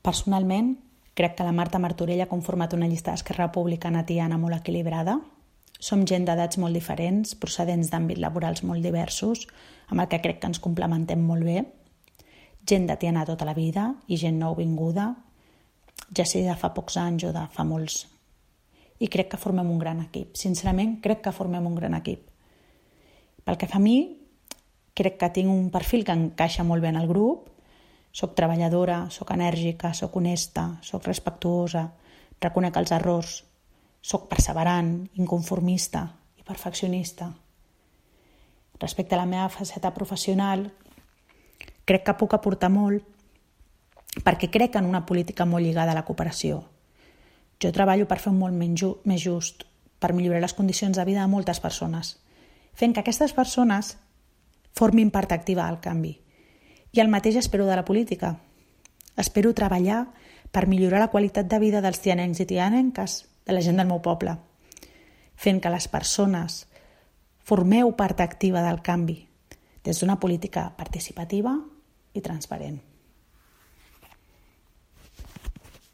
Personalment, crec que la Marta Martorell ha conformat una llista d'Esquerra Republicana tiana molt equilibrada. Som gent d'edats molt diferents, procedents d'àmbits laborals molt diversos, amb el que crec que ens complementem molt bé. Gent de tiana tota la vida i gent nouvinguda, ja sigui de fa pocs anys o de fa molts. I crec que formem un gran equip. Sincerament, crec que formem un gran equip. Pel que fa a mi, crec que tinc un perfil que encaixa molt bé en el grup. Soc treballadora, soc enèrgica, soc honesta, soc respectuosa, reconec els errors, soc perseverant, inconformista i perfeccionista. Respecte a la meva faceta professional, crec que puc aportar molt perquè crec en una política molt lligada a la cooperació. Jo treballo per fer un món més just, per millorar les condicions de vida de moltes persones, fent que aquestes persones formin part activa del canvi. I el mateix espero de la política. Espero treballar per millorar la qualitat de vida dels tianencs i tianenques, de la gent del meu poble, fent que les persones formeu part activa del canvi des d'una política participativa i transparent.